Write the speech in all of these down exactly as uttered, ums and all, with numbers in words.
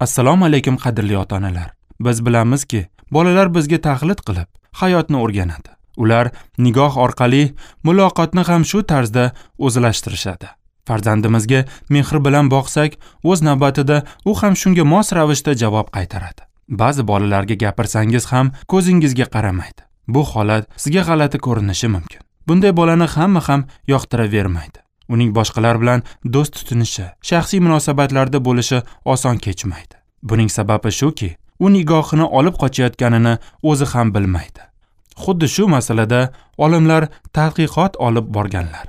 Assalomu alaykum qadrli ota-onalar. Biz bilamizki, bolalar bizga taqlid qilib hayotni o'rganadi. Ular nigoh orqali muloqotni ham shu tarzda o'zlashtirishadi. Farzandimizga mehr bilan boqsak, o'z navbatida u ham shunga mos ravishda javob qaytaradi. Ba'zi bolalarga gapirsangiz ham ko'zingizga qaramaydi. Bu holat sizga g'alati ko'rinishi mumkin. Bunday bolani hamma ham yoqtiravermaydi. Uning boshqalar bilan do'st tutinishi, shaxsiy munosabatlarda bo'lishi oson kechmaydi. Buning sababi shuki, u nigohini olib qochayotganini o'zi ham bilmaydi. Xuddi shu masalada olimlar tadqiqot olib borganlar.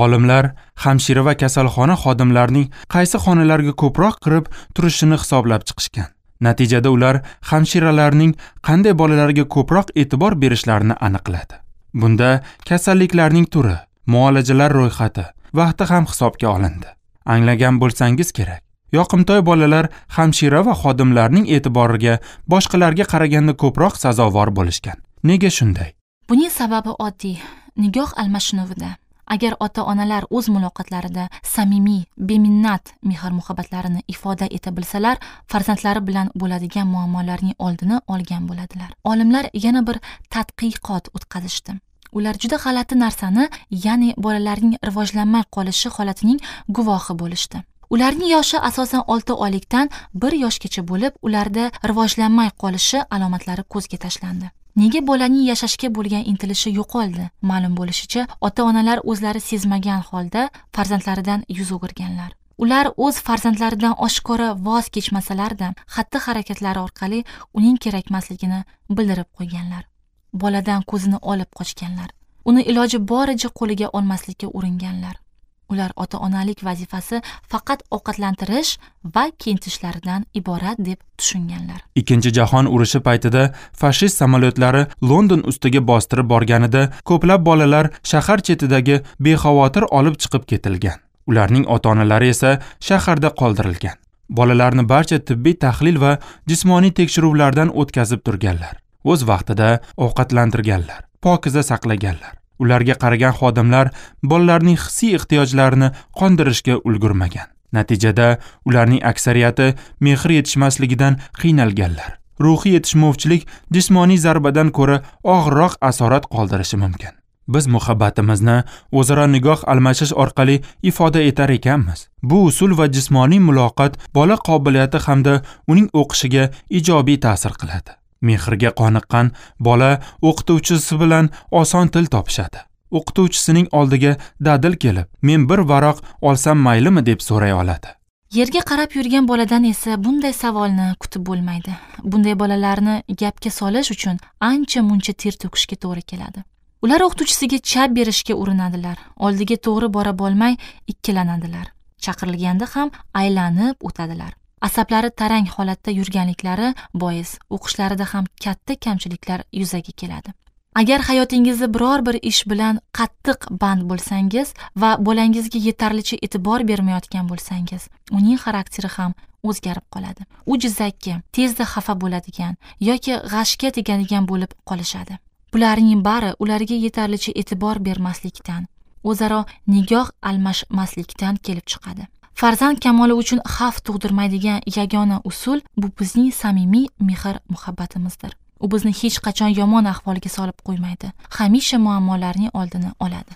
Olimlar hamshira va kasalxona xodimlarining qaysi xonalarga ko'proq kirib turishini hisoblab chiqishgan. Natijada ular hamshiralarning qanday bolalarga ko'proq e'tibor berishlarini aniqladi. Bunda kasalliklarning turi, muolajalar ro'yxati, vaqti ham hisobga olindi. Anglagan bo'lsangiz kerak, yoqimtoy bolalar hamshira va xodimlarning e'tiboriga boshqalarga qaraganda ko'proq sazovor bo'lishgan. Nega shunday? Buning sababi oddiy, nigoh almashinuvida. Agar ota-onalar o'z muloqotlarida samimiy, beminnat mehr-muhabbatlarini ifoda eta bilsalar, farzandlari bilan bo'ladigan muammolarning oldini olgan bo'ladilar. Olimlar yana bir tadqiqot o'tkazishdi. Ular juda g'alati narsani, ya'ni bolalarning rivojlanmay qolishi holatining guvohi bo'lishdi. Ularning yoshi asosan olti oylikdan bir yoshgacha bo'lib, ularda rivojlanmay qolishi alomatlari ko'zga tashlandi. Nega bolaning yashashga bo'lgan intilishi yo'qoldi? Ma'lum bo'lishicha, ota-onalar o'zlari sezmagan holda farzandlaridan yuz o'girganlar. Ular o'z farzandlaridan oshkora voz kechmasalar-da, xatti-harakatlari orqali uning kerakmasligini bildirib qo'yganlar. Boladan ko'zini olib qochganlar. Uni iloji boricha qo'liga olmaslikka uringanlar. Ular ota-onalik vazifasi faqat ovqatlantirish va kiyintirishlaridan iborat deb tushunganlar. Ikkinchi jahon urushi paytida fashist samolyotlari London ustiga bostirib borganida ko'plab bolalar shahar chetidagi bexavotir olib chiqib ketilgan. Ularning ota-onalari esa shaharda qoldirilgan. Bolalarni barcha tibbiy tahlil va jismoniy tekshiruvlardan o'tkazib turganlar. O'z vaqtida ovqatlantirganlar, pokiza saqlaganlar. Ularga qaragan xodimlar bolalarning hissiy ehtiyojlarini qondirishga ulgurmagan. Natijada ularning aksariyati mehr yetishmasligidan qiynalganlar. Ruhiy yetishmovchilik jismoniy zarbadan ko'ra og'irroq asorat qoldirishi mumkin. Biz muhabbatimizni o'zaro nigoh almashish orqali ifoda etar ekanmiz. Bu usul va jismoniy muloqot bola qobiliyati hamda uning o'qishiga ijobiy ta'sir qiladi. Mehrga qoniqqan bola o'qituvchisi bilan oson til topishadi. O'qituvchisining oldiga dadil kelib, "Men bir varoq olsam maylimi?" deb so'ray oladi. Yerga qarab yurgan boladan esa bunday savolni kutib bo'lmaydi. Bunday bolalarni gapga solish uchun ancha-muncha ter to'kishga to'g'ri keladi. Ular o'qituvchisiga chap berishga urinadilar, oldiga to'g'ri bora bo'lmay ikkilanadilar. Chaqirilganda ham aylanib o'tadilar. Asablari tarang holatda yurganliklari bois o'qishlarida ham katta kamchiliklar yuzaga keladi. Agar hayotingizda biror bir ish bilan qattiq band bo'lsangiz va bolangizga yetarlicha e'tibor bermayotgan bo'lsangiz, uning xarakteri ham o'zgarib qoladi. U jizzakki, tezda xafa bo'ladigan yoki g'ashga tegadigan bo'lib qolishadi. Bularning bari ularga yetarlicha e'tibor bermaslikdan, o'zaro nigoh almashmaslikdan kelib chiqadi. Farzand kamoli uchun xavf tug'dirmaydigan yagona usul bu bizning samimiy mehr-muhabbatimizdir. U bizni hech qachon yomon ahvolga solib qo'ymaydi. Hamisha muammolarning oldini oladi.